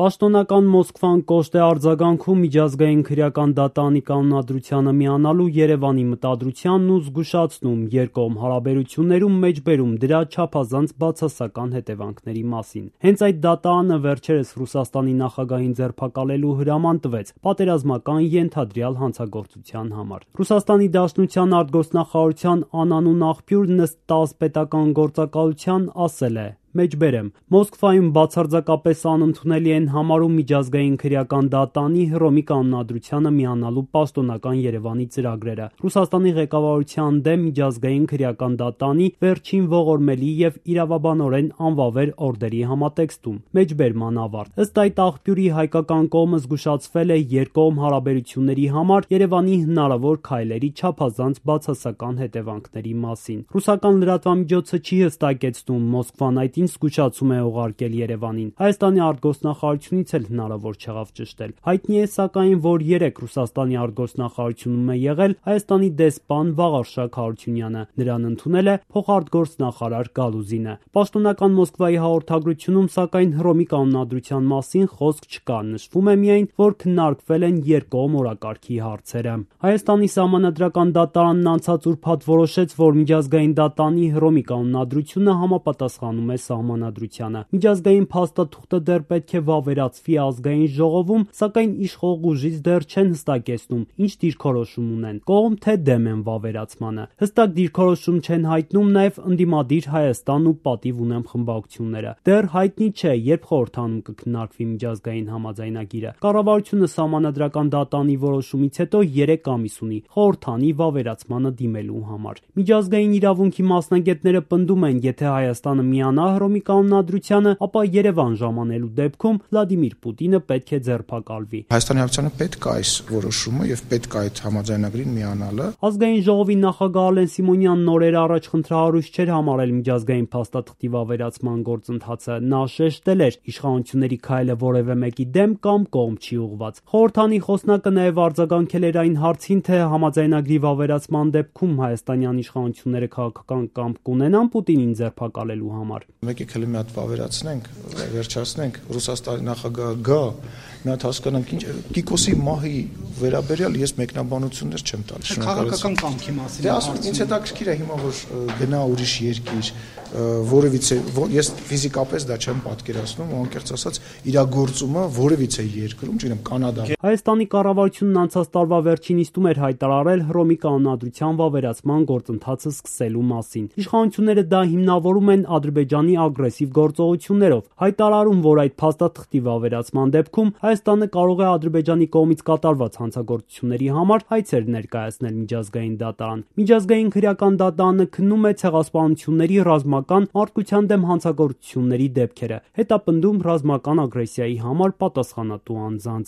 Պաշտոնական Մոսկվան կոշտ է արձագանքում միջազգային քրեական դատարանի կանոնադրությանը միանալու Երևանի մտադրությանն ու զգուշացնում երկկողմ հարաբերություններում մեջբերում դրա չափազանց բացասական հետևանքների մասին։ Հենց այդ դատարանը վերջերս Ռուսաստանի նախագահին ձերբակալելու հրաման տվեց պատերազմական ենթադրյալ հանցագործության համար։ Ռուսաստանի Դաշնության արտգործնախարարության անանուն աղբյուրն ըստ ՏԱՍՍ պետական գործակալության ասել է. Մեջբերեմ, Մոսկվայում բացարձակապես անընդունելի են համարում միջազգային քրեական դատարանի Հռոմի կանոնադրությանը միանալու պաշտոնական Երևանի ծրագրերը, Ռուսաստանի ղեկավարության դեմ միջազգային քրեական դատարանի վերջին ողորմելի եւ իրավաբանորեն անվավեր օրդերի համատեքստում։ Մեջբերման ավարտ։ Ըստ այդ աղբյուրի հայկական կողմը զգուշացվել է երկկողմ հարաբերությունների համար Երևանի հնարավոր քայլերի չափազանց բացասական հետևանքների մասին։ Ռուսական լրատվամիջոցը չի հստակեցնում Մոսկվան այդ զգուշացում է ուղարկել Երևանին։ Հայաստանի արտգործնախարարությունից էլ հնարավոր չեղավ ճշտել։ Հայտնի է սակայն, որ երեկ Ռուսաստանի արտգործնախարարությունում է եղել Հայաստանի դեսպան Վաղարշակ Հարությունյանը։ Նրան ընդունել է փոխարտգործնախարար Գալուզինը։ Պաշտոնական Մոսկվայի հաղորդագրությունում սակայն Հռոմի կանոնադրության մասին խոսք չկա։ Նշվում է միայն, որ քննարկվել են երկկողմ օրակարգի հարցերը։ Հայաստանի սահմանադրական դատարանն անցած ուրբաթ որոշեց, որ միջազգային դատարանի Հռոմի կանոնադրությունը համապատասխանում է սահմանադրությանը։ Միջազգային փաստաթուղթը դեռ պետք է վավերացվի ազգային ժողովում, սակայն իշխող ուժից դեռ չեն հստակեցնում ինչ դիրքորոշում ունեն՝ կողմ թե դեմ են վավերացմանը։ Հստակ դիրքորոշում չեն հայտնում նաև ընդդիմադիր Հայաստան ու Պատիվ ունեմ խմբակցությունները։ Դեռ հայտնի չէ, երբ խորհրդանում կքննարկվի միջազգային համաձայնագիրը։ Կառավարությունը սահմանադրական դատարանի որոշումից հետո 3 ամիս ունի խորհրդանի վավերացմանը դիմելու համար։ Միջազգային իրավունքի մասնագետները պնդում են, եթե Հայաստանը միանա Հռոմի կանոնադրությանը, ապա Երևան ժամանելու դեպքում Վլադիմիր Պուտինը պետք է ձերբակալվի։ Հայաստանի Հանրապետությանը պետք է այս որոշումը եւ պետք է այդ համաձայնագրին միանալը։ Ազգային ժողովի նախագահ Ալեն Սիմոնյանն օրեր առաջ խնդրահարույց չէր համարել միջազգային փաստաթղթի վավերացման գործընթացը։ Նա շեշտել էր, իշխանությունների քայլը որևէ մեկի դեմ կամ կողմ չի ուղղված։ Խորհրդանի խոսնակը նաև արձագանքել էր այն հարցին, թե համաձայնագրի վավերացման դեպքում հայաստանյան իշխանությունները քաղաքական կամք կունենան Պուտինին ձերբակալելու համար։ Եկեք հələ մի հատ վավերացնենք, վերջացնենք, Ռուսաստանի նախագահը գա, մի հատ հասկանանք ինչ Կիկոսի մահի վերաբերյալ ես մեկնաբանություններ չեմ տալիս։ Քաղաքական կամքի մասին։ Դե ասում, ինձ հետաքրքիր է հիմա որ գնա ուրիշ երկիր, որևիցե ես ֆիզիկապես դա չեմ պատկերացնում, անկեղծ ասած, իրագործումը որևիցե երկրում, չգիտեմ, Կանադա։ Հայաստանի կառավարությունն անցած տարվա վերջին նիստում էր հայտարարել Հռոմի կանոնադրության վավերացման գործընթացը սկսելու մասին։ Իշխանությունները դա հիմնավորում են Ադրբեջանի ագրեսիվ գործողություններով, հայտարարում, որ այդ փաստաթղթի վավերացման դեպքում Հայաստանը կարող է Ադրբեջանի կողմից կատարված հանցագործությունների համար հայցեր ներկայացնել միջազգային դատարան։ Միջազգային քրեական դատարանը քննում է ցեղասպանությունների, ռազմական, մարդկության դեմ հանցագործությունների դեպքերը, հետապնդում ռազմական ագրեսիայի համար պատասխանատու անձանց։